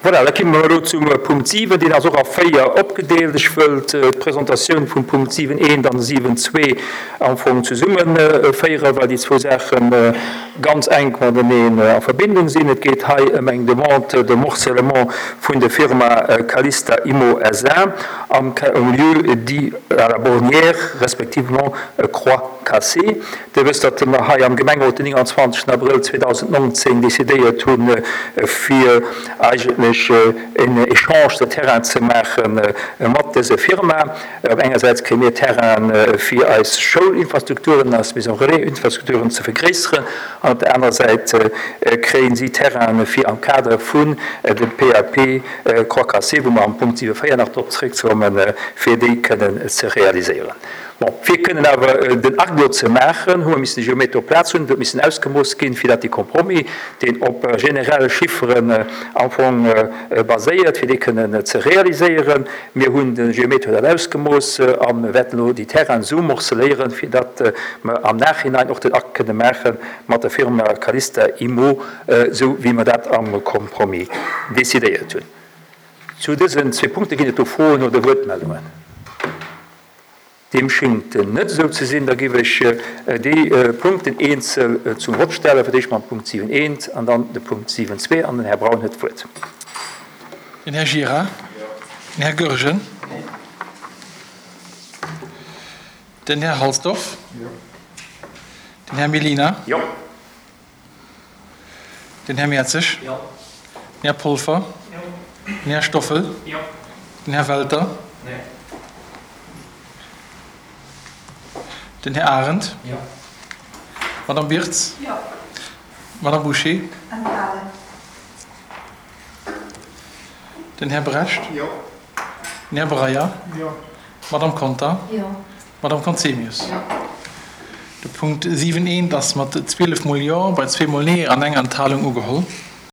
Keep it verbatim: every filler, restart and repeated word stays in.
Voilà, da komme mer elo zum Punkt siwen, deen ass och a véier opgedeelt. Ech wëll d'Presentatioun vum Punkt siwen eent an siwen zwee am Fong zesummeféieren, well déi zwou Saache ganz enk mateneen a Verbindung sinn. Et geet hei ëm eng Demande de morcellement vun der Firma Calista Immo S A am lieu dit à la Bornière, respectivement Croix Cassée. Dir wësst, datt mer hei am Gemengerot den nénganzwanzegsten Abrëll zweedausendnonzéng decidéiert hunn, fir eigentlech en Échange de terrain ze maache mat dëser Firma. Op engersäits kréie mir Terrain fir eis Schoulinfrastrukturen, eis Maison relais-Infrastrukturen ze vergréisseren, an op der anerer Säit kréien si Terraine fir am Kader vun dem P A P Croix Cassée, wou mer am Punkt siwe véier nach drop zeréckkommen, fir déi kënnen ze realiséieren. Bon, fir kënnen awer den Akt do ze maachen, hu mer missen de Geometer op Plaz hunn, huet missen ausgemooss ginn, fir datt de Compromis, deen op generelle Chifferen am Fong baséiert, fir déi kënnen ze realiséieren. Mir hunn de Geometer dat ausgemooss a wäerten elo déi Terrainen esou morceléieren, fir datt mer am Nachhinein och den Akt kënne maache mat der Firma Calista Immo, esou wéi mer dat am Compromis decidéiert hunn. Zu dësen zwee Punkte ginn et do Froen oder Wuertmeldungen? Deem schéngt net esou ze sinn. Da géif ech déi Punkten eenzel zum Vott stellen, fir d'éischt mam Punkt siwen eent an dann de Punkt siwen zwee. An den Här Braun huet d'Wuert. Den Här Gira. Den Här Goergen. Den Här Halsdorf. Den Här Mellina. Jo. Den Här Mertzig. Jo. Den Här Polfer. Jo. Den Här Stoffel. Jo. Den Här Welter. Nee. Den Här Arendt. Jo. Madame Birtz. Jo. Madame Boucher. Enthalen. Den Här Brecht. Jo. Den Här Breyer. Jo. Madame Conter. Jo. Madame Conzemius. Jo. De Punkt siwen eent ass mat zwielef Mol Jo bei zwee Mol Nee an enger Enthalung ugeholl.